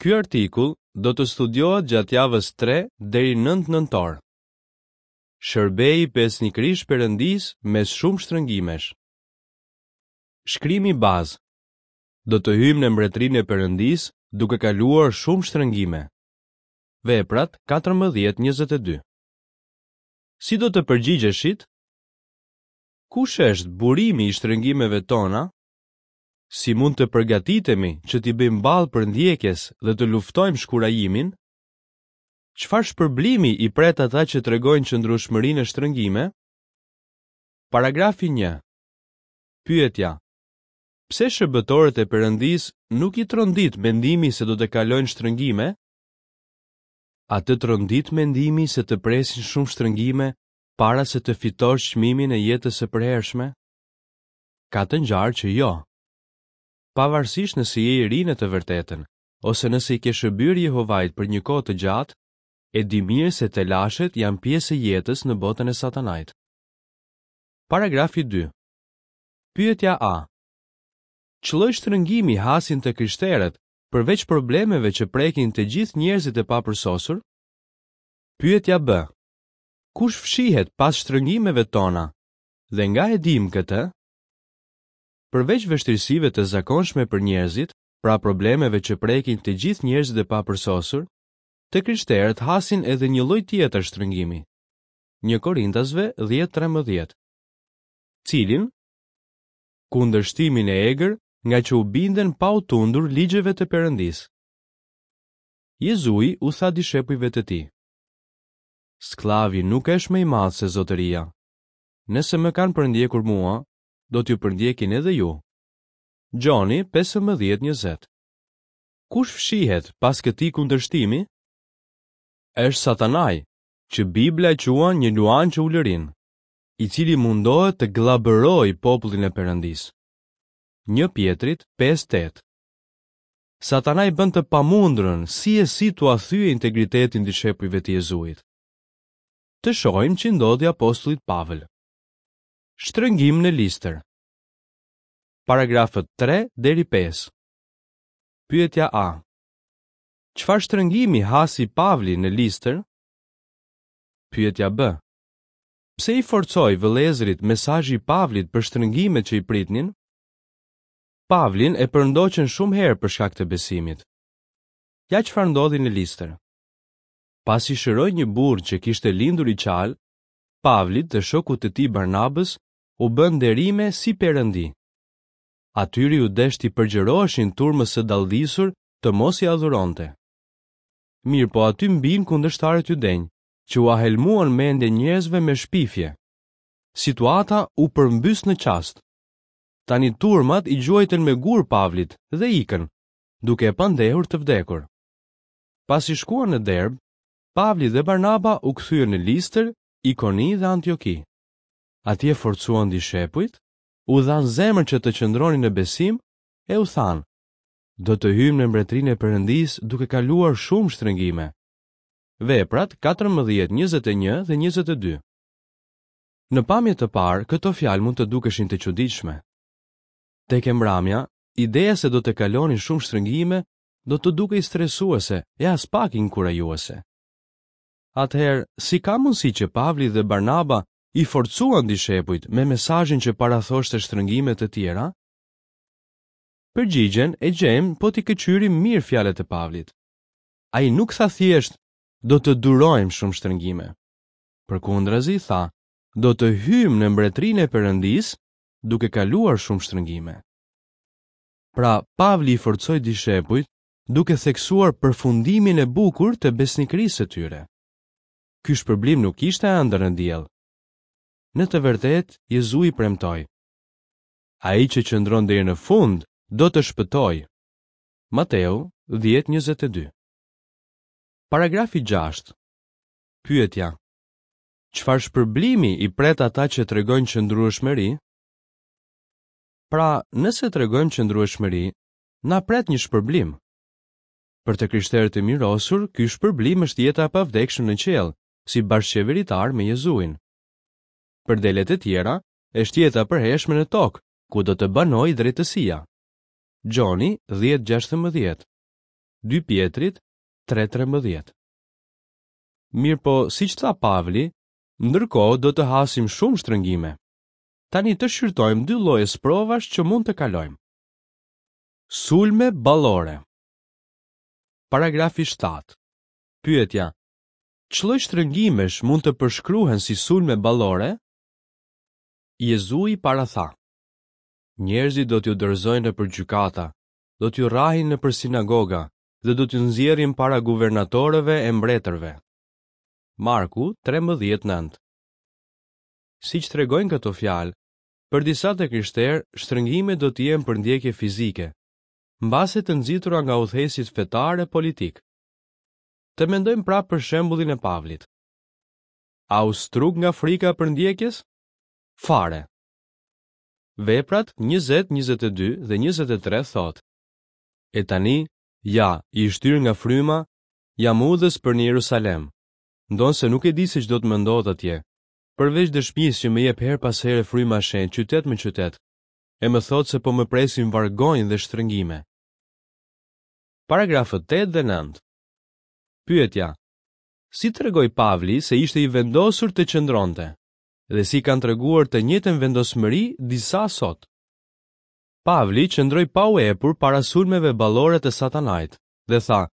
Ky artikull do të studiohet gjatë javës 3 deri 9 nëntor. Shërbeji besnikërisht Perëndisë mes shumë shtrëngimesh. Shkrimi bazë. Do të hyjmë në mbretërinë e Perëndisë duke kaluar shumë shtrëngime. Veprat 14:22. Si do të përgjigjeshit? Kush është burimi i shtrëngimeve tona? Si mund të përgatitemi që t'i bëjmë ballë përndjekjes dhe të luftojmë shkurajimin? Çfarë shpërblimi i pret ata që tregojnë qëndrueshmëri në shtrëngime? Paragrafi 1. Pyetja: Pse shërbëtorët e Perëndisë nuk i trondit mendimi se do të kalojnë shtrëngime? A të trondit mendimi se të presin shumë shtrëngime para se të fitosh çmimin e jetës së përhershme? Ka të ngjarë që jo. Pavarësisht nëse je i ri në të vërtetën, ose nëse i ke shërbyer Jehovait për një kohë të gjatë, e di mirë se telashet janë pjesë e jetës në botën e Satanait. Paragrafi 2. Pyetja A. Ç'lloj shtrëngimi hasin të krishterët, përveç problemeve që prekin të gjithë njerëzit e papërsosur? Pyetja B. Kush fshihet pas shtrëngimeve tona dhe nga e dimë këtë? Përveç vështirësive të zakonshme për njerëzit, pra problemeve që prekin të gjithë njerëzit e papërsosur, të krishterët hasin edhe një lloj tjetër shtrëngimi. 1 Korintasve 10:13. Cilin? Kundërshtimin e egër ngaqë u binden pa u tundur ligjeve të Perëndisë. Jezui u tha dishepujve të tij: Skllavi nuk është më i madh se zotëria. Nëse më kanë përndjekur mua, do t'ju përndjekin edhe ju. Gjoni 15:20. Kush fshihet pas këtij kundërshtimi? Është Satanai, që Bibla e quan një luan që ulërin, i cili mundohet të gllabërojë popullin e Perëndisë. 1 Pjetrit 5:8. Satanai bën të pamundurën si e si t'ua thyejë integritetin dishepujve të Jezuit. Të shohim ç'i ndodhi apostullit Pavël. Shtrëngim në Listër. Paragrafët 3 deri 5. Pyetja A. Çfarë shtrëngimi hasi Pavli në Listër? Pyetja B. Pse i forcoi vëllezërit mesazhi i Pavlit për shtrëngimet që i pritnin? Pavlin e përndoqën shumë herë për shkak të besimit. Ja çfarë ndodhi në Listër. Pasi shëroi një burrë që kishte lindur i çalë, Pavlit dhe shokut të tij Barnabës u bënë nderime si perëndi. Atyre iu desh t'i përgjëroheshin turmës së dalldisur të mos i adhuronte. Mirëpo aty mbinë kundërshtarët judenj, që ua helmuan mendjen njerëzve me shpifje. Situata u përmbys në çast. Tani turmat i gjuajtën me gurë Pavlit dhe ikën, duke e pandehur të vdekur. Pasi shkuan në Derbë, Pavli dhe Barnaba u kthyen në Listër, Ikoni dhe Antioki. Atje forcuan dishepujt, u dhanë zemër që të qëndronin në besim e u thanë, do të hyjmë në mbretërinë e Perëndisë duke kaluar shumë shtrëngime. Veprat 14, 21 dhe 22. Në pamje të parë, këto fjalë mund të dukeshin të çuditshme. Tek e mbramja, ideja se do të kalonin shumë shtrëngime do të dukej stresuese e aspak inkurajuese. Atëherë, si ka mundësi që Pavli dhe Barnaba i forcuan dishepujt me mesazhin që parathoshte shtrëngime të tjera? Përgjigjen e gjejmë po t'i këqyrim mirë fjalët e Pavlit. Ai nuk tha thjesht do të durojmë shumë shtrëngime. Përkundrazi tha, do të hyjmë në mbretërinë e Perëndisë duke kaluar shumë shtrëngime. Pra, Pavli i forcoi dishepujt duke theksuar përfundimin e bukur të besnikërisë së tyre. Ky shpërblim nuk ishte ëndërr në diell. Në të vërtetë, Jezui premtoi: Ai që qëndron deri në fund do të shpëtojë. Mateu 10:22. Paragrafi 6. Pyetja: Çfarë shpërblimi i pret ata që tregojnë qëndrueshmëri? Pra, nëse tregojmë qëndrueshmëri, na pret një shpërblim. Për të krishterët e mirosur, ky shpërblim është jeta e pavdekshme në qiell, si bashkëqeveritarë me Jezuin. Për delet e tjera, është jeta e përhershme në tokë, ku do të banojë drejtësia. Gjoni 10:16. 2 Pjetrit 3:13. Mirëpo, siç tha Pavli, ndërkohë do të hasim shumë shtrëngime. Tani të shqyrtojmë dy lloje sprovash që mund të kalojmë. Sulme ballore. Paragrafi 7. Pyetja: Ç'lloj shtrëngimesh mund të përshkruhen si sulme ballore? Jezui paratha: Njerëzit do t'ju dorëzojnë nëpër gjykata, do t'ju rrahin nëpër sinagoga dhe do t'ju nxjerrin para guvernatorëve e mbretërve. Marku 13:9. Siç tregojnë këto fjalë, për disa të krishterë, shtrëngimet do të jenë përndjekje fizike, mbase të nxitura nga udhëheqësit fetarë e politikë. Të mendojmë prapë për shembullin e Pavlit. A u struk nga frika e përndjekjes? Fare. Veprat 20, 22 dhe 23 thotë: E tani, ja, i shtyrë nga fryma, jam udhës për në Jerusalem. Ndonëse nuk e di se ç'do të më ndodhë atje, përveç dëshmisë që më jep herë pas here fryma e shenjtë qytet më qytet, e më thotë se po më presin vargonj dhe shtrëngime. Paragrafët 8 dhe 9. Pyetja: Si tregoi Pavli se ishte i vendosur të qëndronte? Dhe si kanë treguar të njëjtën vendosmëri disa sot? Pavli qëndroi pa u epur para sulmeve ballore të Satanait dhe tha: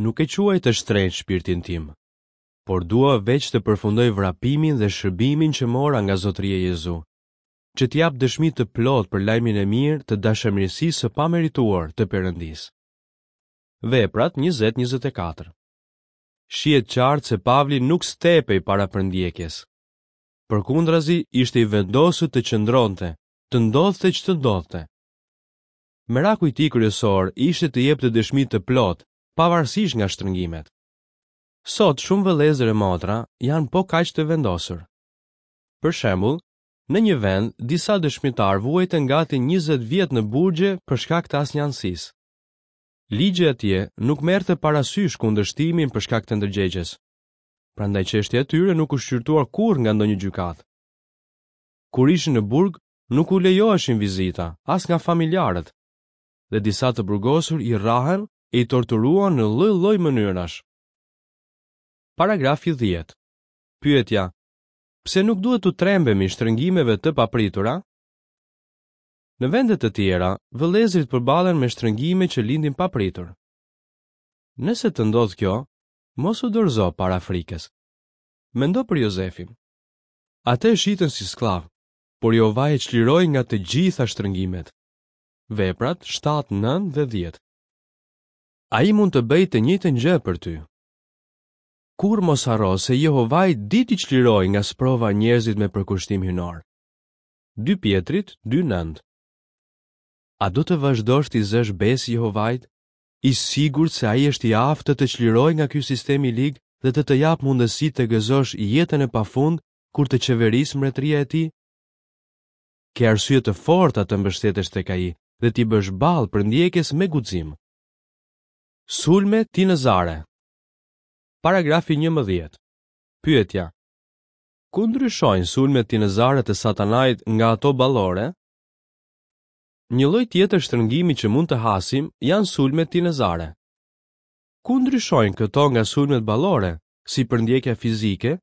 Nuk e quaj të shtrenjtë shpirtin tim, por dua veç të përfundoj vrapimin dhe shërbimin që mora nga Zotëria Jezu, që të jap dëshmi të plotë për lajmin e mirë të dashamirësisë së pamerituar të Perëndisë. Veprat 20:24. Shihet qartë se Pavli nuk stepej para përndjekjes. Përkundrazi, ishte i vendosur të qëndronte, të ndodhte ç'të ndodhte. Meraku i tij kryesor ishte të jepte dëshmi të plotë, pavarësisht nga shtrëngimet. Sot shumë vëllezër e motra janë po kaq të vendosur. Për shembull, në një vend, disa dëshmitarë vuajtën gati 20 vjet në burgje për shkak të asnjanësisë. Ligji atje nuk merrte parasysh kundërshtimin për shkak të ndërgjegjes. Prandaj çështja e tyre nuk u shqyrtua kurrë nga ndonjë gjykatë. Kur ishin në burg, nuk u lejoheshin vizita, as nga familjarët. Dhe disa të burgosur i rrahën e i torturuan në lloj-lloj mënyrash. Paragrafi 10. Pyetja: Pse nuk duhet t'u trembemi shtrëngimeve të papritura? Në vende të tjera, vëllezërit përballen me shtrëngime që lindin papritur. Nëse të ndodh kjo, mos u dorëzo para frikës. Mendo për Jozefin. Atë e shitën si skllav, por Jehovai e çliroi nga të gjitha shtrëngimet. Veprat 7, 9 dhe 10. Ai mund të bëjë të njëjtën gjë për ty. Kurrë mos harro se Jehovai di t'i çlirojë nga sprova njerëzit me përkushtim hyjnor. 2 Pjetrit 2:9 A do të vazhdosh t'i zësh besë Jehovait, i sigurt se ai është i aftë të të çlirojë nga ky sistem i lig dhe të të japë mundësi të gëzosh jetën e pafund kur të qeverisë mbretëria e tij? Ke arsye të forta të mbështetesh tek ai dhe t'i bësh ballë përndjekjes me guxim. Sulme tinëzare. Paragrafi 11. Pyetja: Ku ndryshojnë sulmet tinëzare të Satanait nga ato ballore? Një lloj tjetër shtrëngimi që mund të hasim janë sulmet tinëzare. Ku ndryshojnë këto nga sulmet ballore, si përndjekja fizike?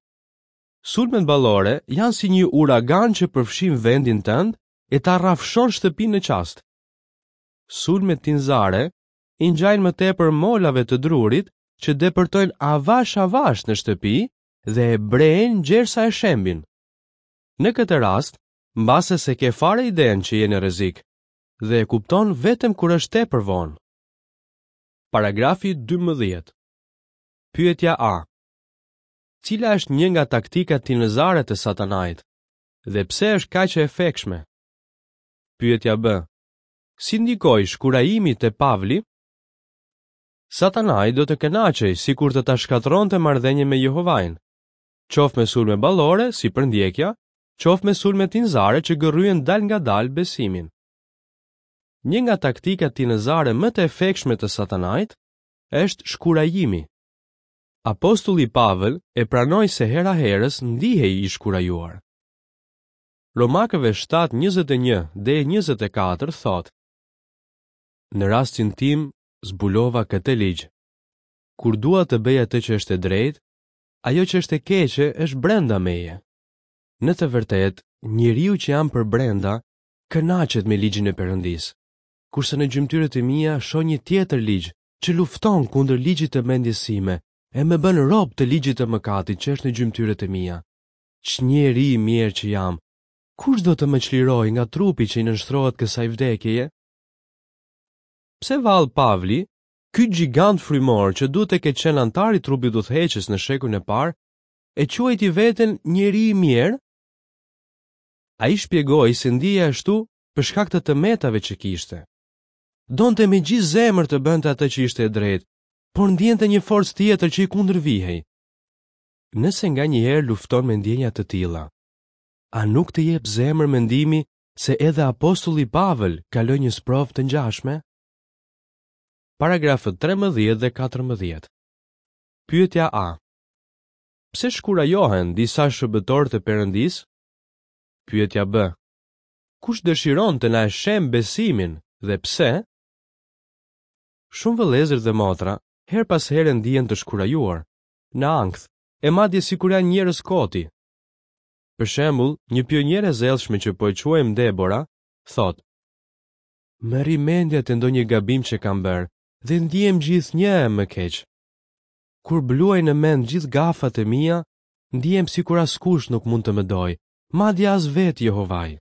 Sulmet ballore janë si një uragan që përfshin vendin tënd e ta rrafshon shtëpinë në çast. Sulmet tinëzare i ngjajnë më tepër molave të drurit që depërtojnë avash avash në shtëpi dhe e brejnë gjersa e shembin. Në këtë rast, mbase s'e ke fare idenë që je në rrezik dhe e kupton vetëm kur është tepër vonë. Paragrafi 12. Pyetja A. Cila është një nga taktikat tinëzare të Satanait dhe pse është kaq e efektshme? Pyetja B. Si ndikoi shkurajimi te Pavli? Satanai do të kënaqej sikur të ta shkatërronte marrëdhënien me Jehovain, qoftë me sulme ballore, si përndjekja, qoftë me sulme tinëzare që gërryejnë dalëngadalë besimin. Një nga taktikat tinëzare më të efektshme të Satanait është shkurajimi. Apostulli Pavël e pranoi se hera-herës ndihej i shkurajuar. Romakëve 7:21 deri 24 thotë: Në rastin tim, Zbulova këtë ligj. Kur dua të bëj atë që është e drejtë, ajo që është e keqe është brenda meje. Në të vërtetë, njeriu që jam përbrenda kënaqet me ligjin e Perëndisë, kurse në gjymtyrët e mia shoh një tjetër ligj që lufton kundër ligjit të mendjes sime e më bën rob të ligjit të mëkatit që është në gjymtyrët e mia. Ç'njeri i mjerë që jam! Kush do të më çlirojë nga trupi që i nënshtrohet kësaj vdekjeje? Pse vallë Pavli, ky gjigant frymor që duhet të ketë qenë anëtar i trupit udhëheqës në shekullin e parë, e quajti veten njeri i mjerë? Ai shpjegoi se ndihej ashtu për shkak të të metave që kishte. Donte me gjithë zemër të bënte atë që ishte e drejtë, por ndiente një forcë tjetër që i kundërvihej. Nëse nganjëherë lufton me ndjenja të tilla, a nuk të jep zemër mendimi se edhe apostulli Pavël kaloi një sprovë të ngjashme? Paragrafët 13 dhe 14. Pyetja A. Pse shkurajohen disa shërbëtorë të Perëndisë? Pyetja B. Kush dëshiron të na e shembë besimin dhe pse? Shumë vëllezër dhe motra herë pas here ndihen të shkurajuar, në ankth, e madje sikur janë njerëz koti. Për shembull, një pioniere e zellshme që po e quajmë Debora, thotë: Më rri mendja te ndonjë gabim që kam bërë dhe ndihem gjithnjë e më keq. Kur bluaj në mend gjithë gafat e mia, ndihem sikur askush nuk mund të më dojë, madje as vetë Jehovai.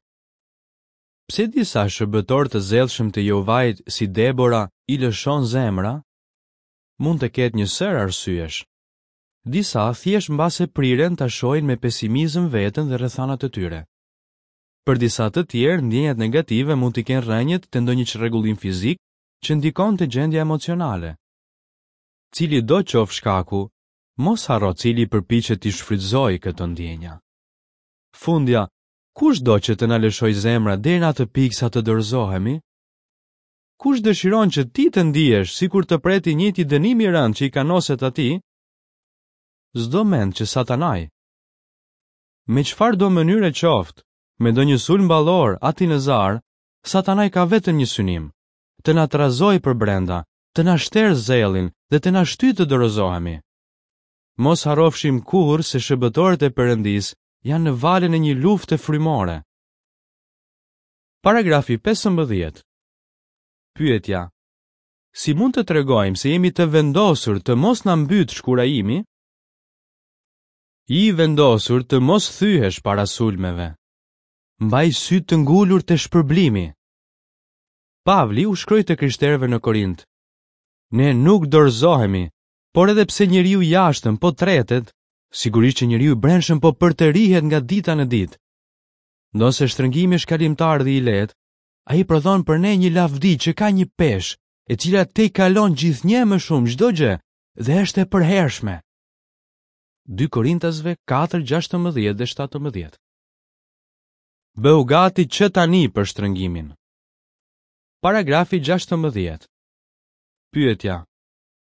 Pse disa shërbëtorë të zellshëm të Jehovait si Debora i lëshon zemra? Mund të ketë një sërë arsyesh. Disa thjesht mbase priren ta shohin me pesimizëm veten dhe rrethanat e tyre. Për disa të tjerë, ndjenjat negative mund t'i kenë rrënjët te ndonjë çrregullim fizik që ndikon te gjendja emocionale. Cilido qoftë shkaku, mos harro cili përpiqet t'i shfrytëzojë këto ndjenja. Fundja, kush do që të na lëshojë zemra deri në atë pikë sa të dorëzohemi? Kush dëshiron që ti të ndihesh sikur të pret i njëjti dënim i rëndë që i kanoset atij? S'do mend që Satanai. Me çfarëdo mënyre qoftë, me ndonjë sulm ballor a tinëzar, Satanai ka vetëm një synim, të na trazojë përbrenda, të na shterë zellin dhe të na shtyjë të dorëzohemi. Mos harrofshim kurrë se shërbëtorët e Perëndisë janë në valën e një lufte frymore. Paragrafi 15. Pyetja: Si mund të tregojmë se jemi të vendosur të mos na mbytë shkurajimi? Ji i vendosur të mos thyhesh para sulmeve. Mbaj sytë të ngulur te shpërblimi. Pavli u shkroi të krishterëve në Korint. Ne nuk dorëzohemi, por edhe pse njeriu i jashtëm po tretet, sigurisht që njeriu i brendshëm po përtërihet nga dita në ditë. Ndonëse shtrëngimi është kalimtar dhe i lehtë, ai prodhon për ne një lavdi që ka një peshë, e cila tejkalon gjithnjë e më shumë çdo gjë dhe është e përhershme. 2 Korintasve 4, 16 dhe 17. Bëhu gati që tani për shtrëngimin. Paragrafi 16. Pyetja: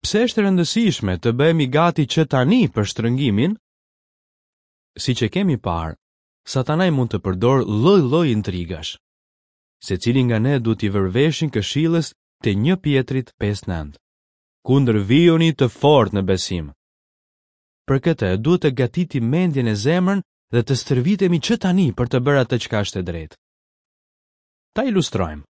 Pse është e rëndësishme të bëhemi gati që tani për shtrëngimin? Siç e kemi parë, Satanai mund të përdorë lloj-lloj intrigash. Secili nga ne duhet t'i vërë veshin këshillës te 1 Pjetrit 5:9. Kundërvihuni të fortë në besim. Për këtë duhet të gatitim mendjen e zemrën dhe të stërvitemi që tani për të bërë atë çka është e drejtë. Ta ilustrojmë.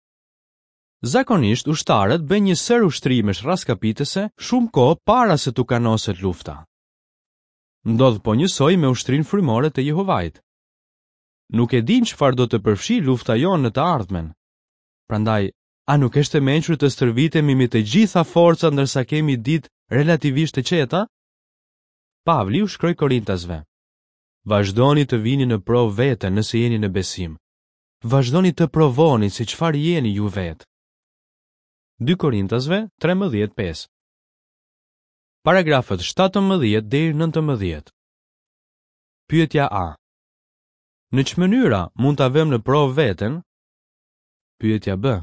Zakonisht ushtarët bëjnë një sërë ushtrimesh rraskapitëse shumë kohë para se t'u kanoset lufta. Ndodh po njësoj me ushtrinë frymore të Jehovait. Nuk e dimë çfarë do të përfshijë lufta jonë në të ardhmen. Prandaj, a nuk është e mençur të stërvitemi me të gjitha forcat ndërsa kemi ditë relativisht të qeta? Pavli u shkroi Korintasve: Vazhdoni të vini në provë veten nëse jeni në besim. Vazhdoni të provoni se çfarë jeni ju vetë. 2 Korintasve 13:5 Paragrafët 17 deri 19. Pyetja A. Në ç'mënyra mund ta vëmë në provë veten? Pyetja B.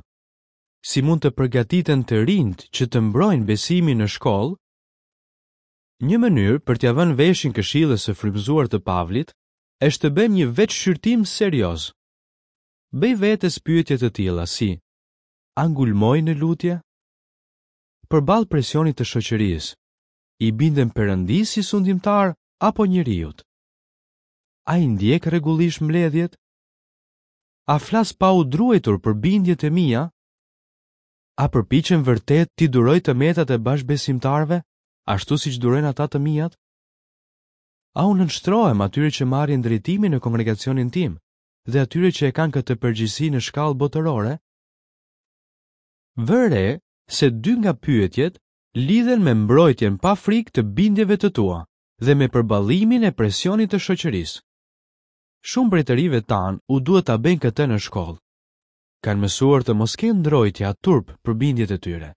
Si mund të përgatiten të rinjtë që të mbrojnë besimin në shkollë? Një mënyrë për t'ia vënë veshin këshillës së frymëzuar të Pavlit është të bëjmë një vetëshqyrtim serioz. Bëj vetes pyetje të tilla si: A ngulmoj në lutje? Përballë presionit të shoqërisë, i bindem Perëndisë si sundimtar apo njeriut? A i ndjek rregullisht mbledhjet? A flas pa u druajtur për bindjet e mia? A përpiqem vërtet t'i duroj të metat e bashkëbesimtarëve, ashtu siç durojnë ata të miat? A u nënshtrohem atyre që marrin drejtimin në kongregacionin tim dhe atyre që e kanë këtë përgjegjësi në shkallë botërore? Vër re se dy nga pyetjet lidhen me mbrojtjen pa frikë të bindjeve të tua dhe me përballimin e presionit të shoqërisë. Shumë prej të rinjve tanë u duhet ta bëjnë këtë në shkollë. Kanë mësuar të mos kenë ndrojtje a turp për bindjet e tyre.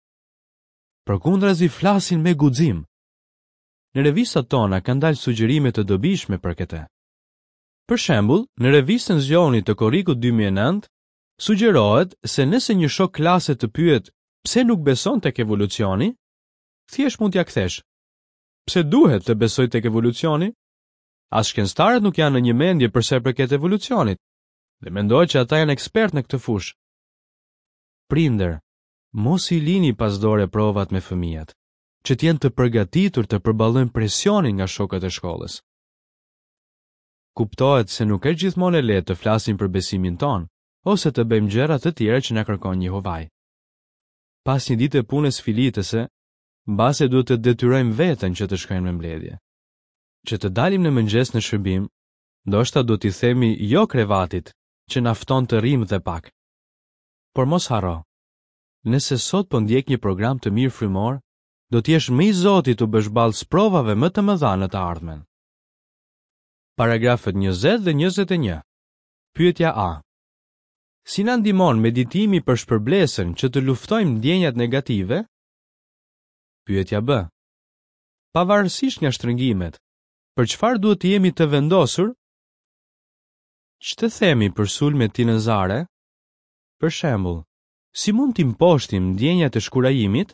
Përkundrazi flasin me guxim. Në revistat tona kanë dalë sugjerime të dobishme për këtë. Për shembull, në revistën Zgjohuni të korrikut 2009, sugjerohet se nëse një shok klase të pyet pse nuk beson tek evolucioni, thjesht mund t'ia kthesh. Pse duhet të besoj tek evolucioni? As shkencëtarët nuk janë në një mendje për sa i përket evolucionit, dhe mendohet që ata janë ekspertë në këtë fushë. Prindër, mos i lini pas dore provat me fëmijët, që të jenë të përgatitur të përballojnë presionin nga shokët e shkollës. Kuptohet se nuk është gjithmonë e lehtë të flasim për besimin tonë ose të bëjmë gjëra të tjera që na kërkon Jehovai. Pas një dite pune sfilitëse, mbase duhet të detyrojmë veten që të shkojmë në mbledhje. Që të dalim në mëngjes në shërbim, ndoshta duhet t'i themi jo krevatit që na fton të rrimë dhe pak. Por mos harro, nëse sot po ndjek një program të mirë frymor, do të jesh më i zoti t'u bësh ballë sprovave më të mëdha në të ardhmen. Paragrafët 20 dhe 21. Pyetja A. Si na ndihmon meditimi për shpërblesën që të luftojmë ndjenjat negative? Pyetja B. Pavarësisht nga shtrëngimet, për çfarë duhet të jemi të vendosur? Ç'të themi për sulmet tinëzare? Për shembull, si mund t'i mposhtim ndjenjat e shkurajimit?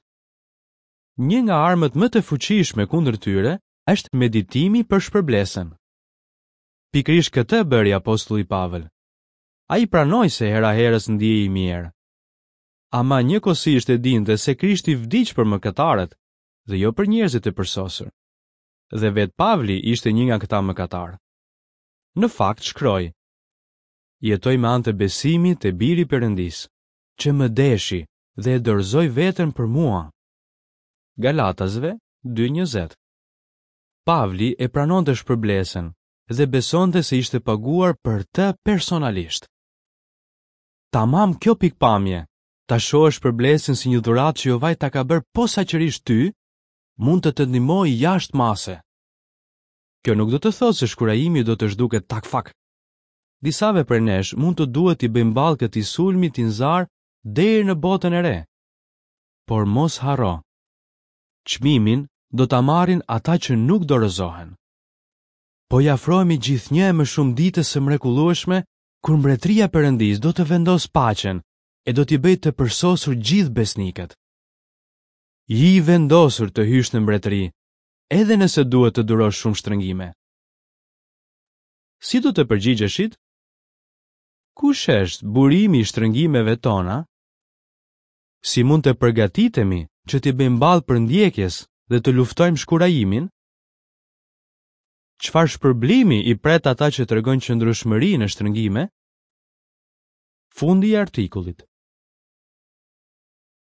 Një nga armët më të fuqishme kundër tyre është meditimi për shpërblesën. Pikërisht këtë bëri apostulli Pavël. Ai pranoi se hera-herës ndihej i mjerë. Ama njëkohësisht e dinte se Krishti vdiq për mëkatarët dhe jo për njerëzit e përsosur. Dhe vetë Pavli ishte një nga këta mëkatarë. Në fakt shkroi: Jetoj me anë të besimit te Biri i Perëndisë, që më deshi dhe e dorëzoi veten për mua. Galatasve 2:20. Pavli e pranonte shpërblesën dhe besonte se ishte paguar për të personalisht. Tamam kjo pikëpamje ta shohësh shpërblesën si një dhuratë që Jehovai ta ka bërë posaçërisht ty, mund të të ndihmojë jashtë mase. Kjo nuk do të thotë se shkurajimi do të zhduket tak fak. Disave prej nesh mund të duhet t'i bëjmë ballë këtij sulmi tinëzar deri në botën e re. Por mos harro, çmimin do ta marrin ata që nuk dorëzohen. Po i afrohemi gjithnjë e më shumë ditës së mrekullueshme kur mbretëria e Perëndisë do të vendosë paqen e do t'i bëjë të përsosur gjithë besnikët. Ji i vendosur të hysh në mbretëri, edhe nëse duhet të durosh shumë shtrëngime. Si do të përgjigjeshit? Kush është burimi i shtrëngimeve tona? Si mund të përgatitemi që t'i bëjmë ballë përndjekjes dhe të luftojmë shkurajimin? Çfarë shpërblimi i pret ata që tregojnë qëndrueshmëri në shtrëngime? Fundi i artikullit.